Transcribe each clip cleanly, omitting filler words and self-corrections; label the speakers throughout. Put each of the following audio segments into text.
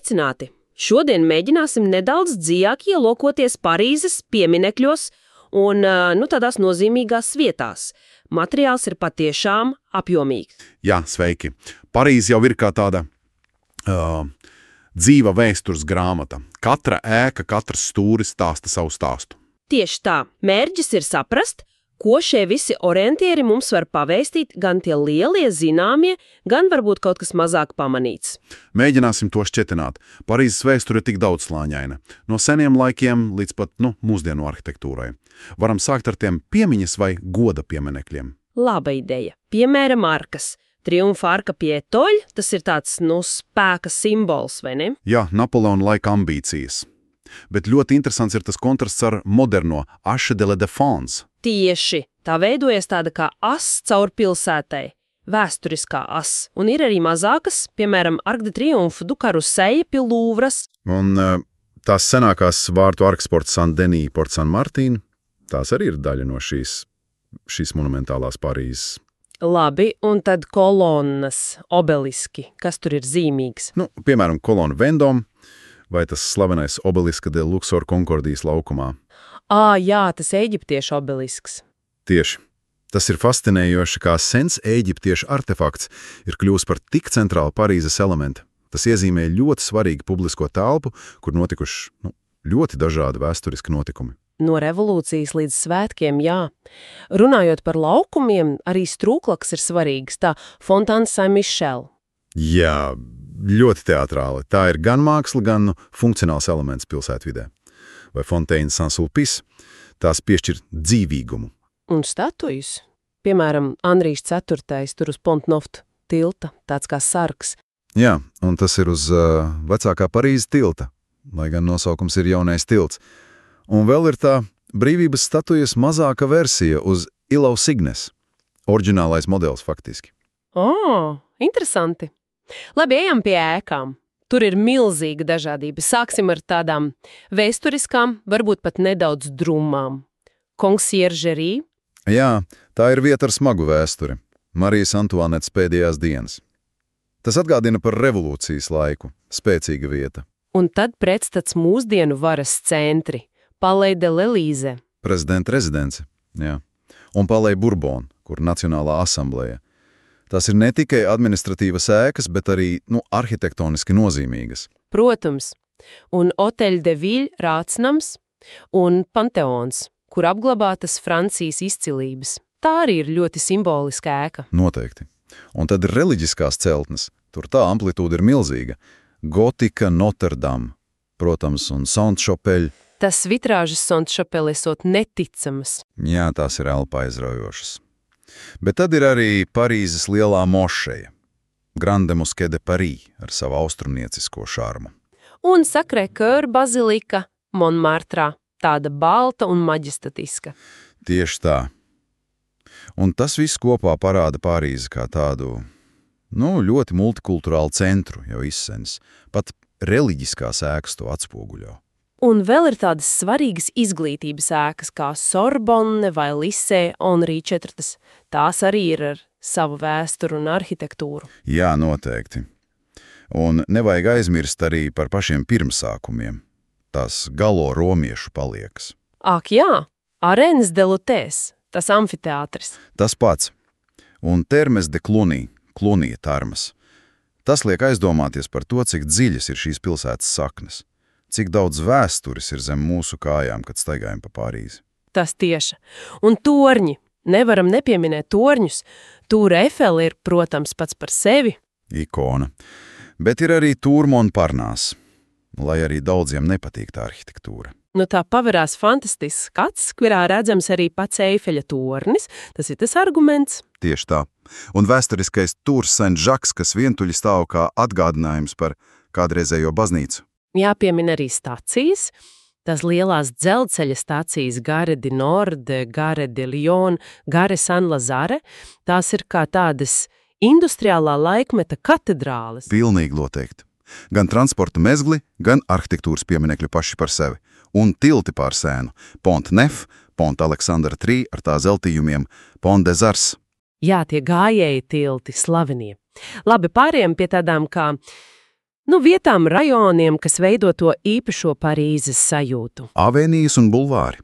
Speaker 1: Sveicināti! Šodien mēģināsim nedaudz dziļāk ielūkoties Parīzes pieminekļos un tādās nozīmīgās vietās. Materiāls ir patiešām apjomīgs.
Speaker 2: Jā, sveiki. Parīze jau ir kā tāda dzīva vēstures grāmata. Katra ēka, katrs stūris stāsta savu stāstu.
Speaker 1: Tieši tā. Mērķis ir saprast, ko šie visi orientieri mums var pavēstīt, gan tie lielie, zināmie, gan varbūt kaut kas mazāk pamanīts.
Speaker 2: Mēģināsim to šķetināt. Parīzes vēsture ir tik daudzslāņaina. No seniem laikiem līdz pat mūsdienu arhitektūrai. Varam sākt ar tiem piemiņas vai goda pieminekļiem.
Speaker 1: Laba ideja. Piemēram, arkas. Triumfa arka pie Etoļa, tas ir tāds, spēka simbols, vai ne?
Speaker 2: Jā, Napoleona laika ambīcijas. Bet ļoti interesants ir tas kontrasts ar moderno Arche de la Défense.
Speaker 1: Tieši. Tā veidojas tāda kā as caur pilsētai. Vēsturiskā as. Un ir arī mazākas, piemēram, Arc de Triomphe du Carrousel pie Louvras.
Speaker 2: Un tās senākās vārtu arkas Porte Saint-Denis, Porte Saint-Martin, tās arī ir daļa no šīs monumentālās Parīzes.
Speaker 1: Labi, un tad kolonnas, obeliski, kas tur ir zīmīgs?
Speaker 2: Piemēram, kolona Vendome vai tas slavenais obeliska de Luxor Konkordijas laukumā.
Speaker 1: Jā, tas eģiptiešu obelisks.
Speaker 2: Tieši. Tas ir fascinējoši, kā sens eģiptiešu artefakts ir kļūst par tik centrālu Parīzes elementu. Tas iezīmē ļoti svarīgu publisko telpu, kur notikuši ļoti dažādi vēsturiski notikumi.
Speaker 1: No revolūcijas līdz svētkiem, jā. Runājot par laukumiem, arī Strūklakas ir svarīgs, tā Fontaine Saint-Michel.
Speaker 2: Jā, ļoti teatrāli. Tā ir gan māksla, gan funkcionāls elements pilsētvidē. Vai Fontaine Saint-Sulpice, tās piešķir dzīvīgumu.
Speaker 1: Un statujas. Piemēram, Andrijs IV. Tur uz Pont-Neuf tilta, tāds kā sargs.
Speaker 2: Jā, un tas ir uz vecākā Parīzes tilta, lai gan nosaukums ir jaunais tilts. Un vēl ir tā brīvības statujas mazāka versija uz Ilau Signes, oriģinālais modelis faktiski.
Speaker 1: Interesanti. Labi, ejam pie ēkām. Tur ir milzīga dažādība. Sāksim ar tādām vēsturiskām, varbūt pat nedaudz drumām. Conciergerie.
Speaker 2: Jā, tā ir vieta ar smagu vēsturi. Marijas Antuanetes pēdējās dienas. Tas atgādina par revolūcijas laiku. Spēcīga vieta.
Speaker 1: Un tad pretstats mūsdienu varas centri. Palais de l'Élysée.
Speaker 2: Prezidenta rezidence, jā. Un Palais Bourbon, kur Nacionālā asambleja. Tās ir ne tikai administratīvas ēkas, bet arī, arhitektoniski nozīmīgas.
Speaker 1: Protams. Un Hôtel de Ville Rātsnams un Panteons, kur apglabātas Francijas izcilības. Tā arī ir ļoti simboliska ēka.
Speaker 2: Noteikti. Un tad ir reliģiskās celtnes. Tur tā amplitūda ir milzīga. Gotika, Notre Dame, protams, un Sainte-Chapelle.
Speaker 1: Tas vitrāžas Sainte-Chapelle esot neticamas.
Speaker 2: Jā, tās ir elpa aizraujošas. Bet tad ir arī Parīzes lielā mošeja, Grande Mosquée de Paris, ar savu austrumniecisko šarmu.
Speaker 1: Un Sacré-Cœur bazilika Montmartrā, tāda balta un maģestatiska.
Speaker 2: Tieši tā. Un tas viss kopā parāda Parīzi kā tādu, ļoti multikulturālu centru jau izsens. Pat reliģiskās ēkas to atspoguļo.
Speaker 1: Un vēl ir tādas svarīgas izglītības ēkas kā Sorbonne vai Lycée Henri IV. Tās arī ir ar savu vēsturu un arhitektūru.
Speaker 2: Jā, noteikti. Un nevajag aizmirst arī par pašiem pirmsākumiem. Tās galo romiešu paliekas.
Speaker 1: Ak jā, Arènes de Lutēs, tas amfiteātris.
Speaker 2: Tas pats. Un Termes de Cluny, Clunija tarmas. Tas liek aizdomāties par to, cik dziļas ir šīs pilsētas saknes. Cik daudz vēstures ir zem mūsu kājām, kad staigājam pa Parīzi.
Speaker 1: Tas tieši. Un torņi. Nevaram nepieminēt torņus. Tour Eiffel ir, protams, pats par sevi.
Speaker 2: Ikona. Bet ir arī Tour Montparnasse, lai arī daudziem nepatīk tā arhitektūra.
Speaker 1: Tā paverās fantastisks skats, kurā redzams arī pats Eifeļa tornis. Tas ir tas arguments.
Speaker 2: Tieši tā. Un vēsturiskais Tour Saint-Jacques, kas vientuļi stāv kā atgādinājums par kādreizējo baznīcu.
Speaker 1: Jāpiemina arī stacijas, tās lielās dzelzceļa stacijas Gare du Nord, Gare de Lyon, Gare Saint-Lazare, tās ir kā tādas industriālā laikmeta katedrāles.
Speaker 2: Pilnīgi noteikti. Gan transporta mezgli, gan arhitektūras pieminekļi paši par sevi. Un tilti pār Sēnu. Pont-Neuf, Pont-Aleksandra III ar tā zeltījumiem, Pont-des-Arts.
Speaker 1: Jā, tie gājēji tilti, slavenie. Labi, pārējām pie tādām kā Vietām, rajoniem, kas veido to īpašo Parīzes sajūtu.
Speaker 2: Avēnijas un bulvāri.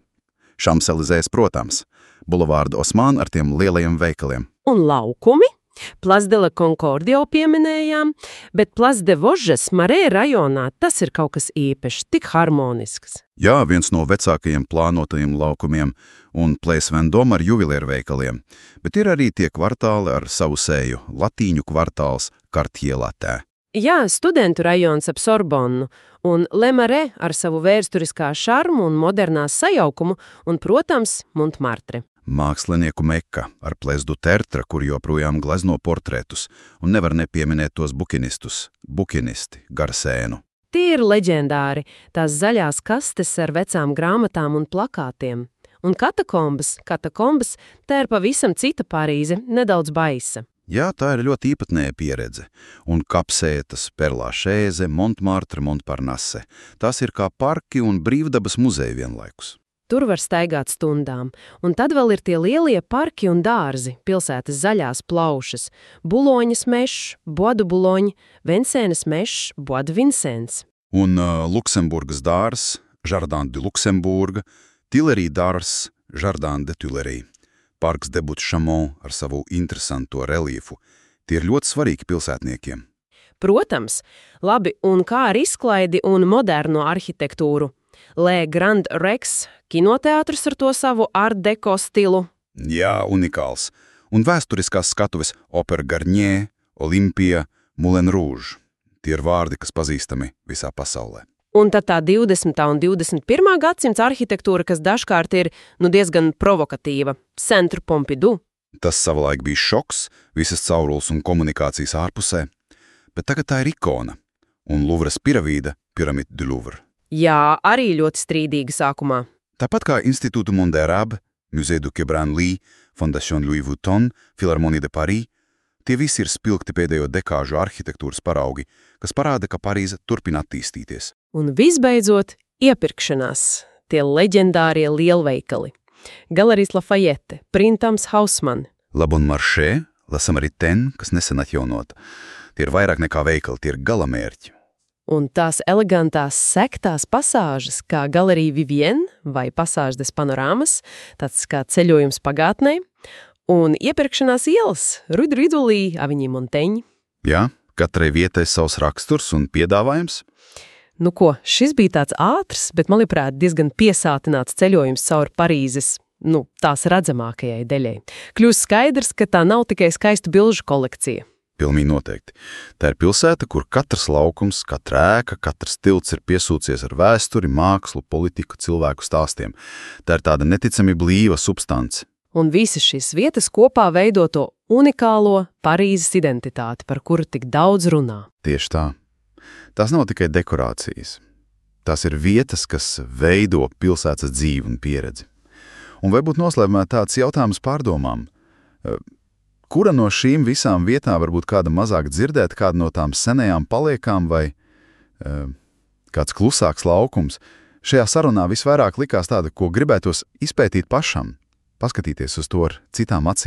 Speaker 2: Šamselizēs, protams. Bulvārdu Osmānu ar tiem lielajiem veikaliem.
Speaker 1: Un laukumi. Place de la Concorde jau pieminējām, bet Place de Vosges Marē rajonā tas ir kaut kas īpašs, tik harmonisks.
Speaker 2: Jā, viens no vecākajiem plānotajiem laukumiem un Place Vendôme ar juvelieru veikaliem, bet ir arī tie kvartāli ar savu seju, latīņu kvartāls Quartier Latin.
Speaker 1: Jā, studentu rajons ap Sorbonnu un Le Marais ar savu vēsturiskā šarmu un modernās sajaukumu un, protams, Montmartre.
Speaker 2: Mākslinieku mekka ar Place du Tertre, kur joprojām glezno portretus, un nevar nepieminēt tos bukinisti, Garsēnu.
Speaker 1: Tie ir leģendāri, tās zaļās kastes ar vecām grāmatām un plakātiem. Un katakombas, tā ir pavisam cita Parīze, nedaudz baisa.
Speaker 2: Jā, tā ir ļoti īpatnēja pieredze. Un kapsētas, Perlāšēze, Montmartre, Montparnasse. Tās ir kā parki un brīvdabas muzeji vienlaikus.
Speaker 1: Tur var staigāt stundām, un tad vēl ir tie lielie parki un dārzi, pilsētas zaļās plaušas, Buloņas mešs, Bois de Boulogne, Vincennes mešs, Bois de Vincennes.
Speaker 2: Un Luksemburgas dārs, Jardin de Luxemburga, Tuileries dārs, Jardin de Tuileries, parks de Butte-Chaumont ar savu interesanto reliefu. Tie ir ļoti svarīgi pilsētniekiem.
Speaker 1: Protams, labi, un kā ar izklaidi un moderno arhitektūru? Le Grand Rex, kinoteātris ar to savu art deco stilu.
Speaker 2: Jā, unikāls. Un vēsturiskās skatuves Opera Garnier, Olympia, Moulin Rouge. Tie ir vārdi, kas pazīstami visā pasaulē.
Speaker 1: Un tad tā 20. un 21. gadsimta arhitektūra, kas dažkārt ir diezgan provokatīva. Centre Pompidou.
Speaker 2: Tas savulaik bija šoks, visas caurules un komunikācijas ārpusē, bet tagad tā ir ikona. Un Louvres piramīda, Pyramide du Louvre.
Speaker 1: Jā, arī ļoti strīdīga sākumā.
Speaker 2: Tāpat kā Institūtu Monde Arabe, Musée du Quai Branly, Fondation Louis Vuitton, Philharmonie de Paris, tie visi ir spilgti pēdējo dekāžu arhitektūras paraugi, kas parāda, ka Parīze turpina attīstīties.
Speaker 1: Un visbeidzot, iepirkšanās, tie leģendārie lielveikali. Galeries Lafayette, Printemps Haussmann.
Speaker 2: La Bon Marché, La Samaritaine, kas nesen atjaunota. Tie ir vairāk nekā veikali, tie ir galamērķi.
Speaker 1: Un tās elegantās sektās pasāžas, kā Galerija Vivienne vai Passage des Panoramas, tāds kā ceļojums pagātnē, un iepirkšanās ielas, Rue de Rivoli, Avenue Montaigne.
Speaker 2: Jā, katrai vietai savs raksturs un piedāvājums.
Speaker 1: Šis bija tāds ātrs, bet, manuprāt, diezgan piesātināts ceļojums caur Parīzes, tās redzamākajai daļai. Kļūst skaidrs, ka tā nav tikai skaistu bilžu kolekcija.
Speaker 2: Pilnīgi noteikti. Tā ir pilsēta, kur katrs laukums, katra ēka, katrs tilts ir piesūcies ar vēsturi, mākslu, politiku, cilvēku stāstiem. Tā ir tāda neticami blīva substance.
Speaker 1: Un visas šīs vietas kopā veido to unikālo Parīzes identitāti, par kuru tik daudz runā.
Speaker 2: Tieši tā. Tās nav tikai dekorācijas. Tās ir vietas, kas veido pilsētas dzīvi un pieredzi. Un vai būtu noslēpumā tāds jautājums pārdomām? Kura no šīm visām vietām varbūt kāda mazāk dzirdēt, kāda no tām senajām paliekām vai kāds klusāks laukums? Šajā sarunā visvairāk likās tāda, ko gribētos izpētīt pašam, paskatīties uz to ar citām acīm.